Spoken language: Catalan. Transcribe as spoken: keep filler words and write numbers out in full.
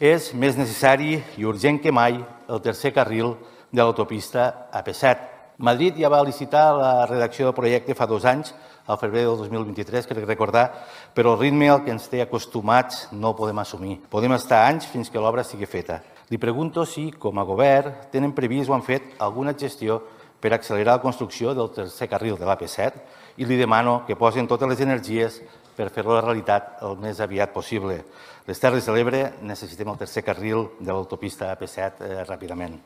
És més necessari i urgent que mai el tercer carril de l'autopista A P set. Madrid ja va licitar la redacció del projecte fa dos anys, al febrer del dos mil vint-i-tres, crec recordar, però el ritme al que ens té acostumats no el podem assumir. Podem estar anys fins que l'obra sigui feta. Li pregunto si, com a govern, tenen previst o han fet alguna gestió per accelerar la construcció del tercer carril de l'A P set i li demano que posin totes les energies per fer-lo realitat el més aviat possible. Les Terres de l'Ebre necessitem el tercer carril de l'autopista A P set ràpidament.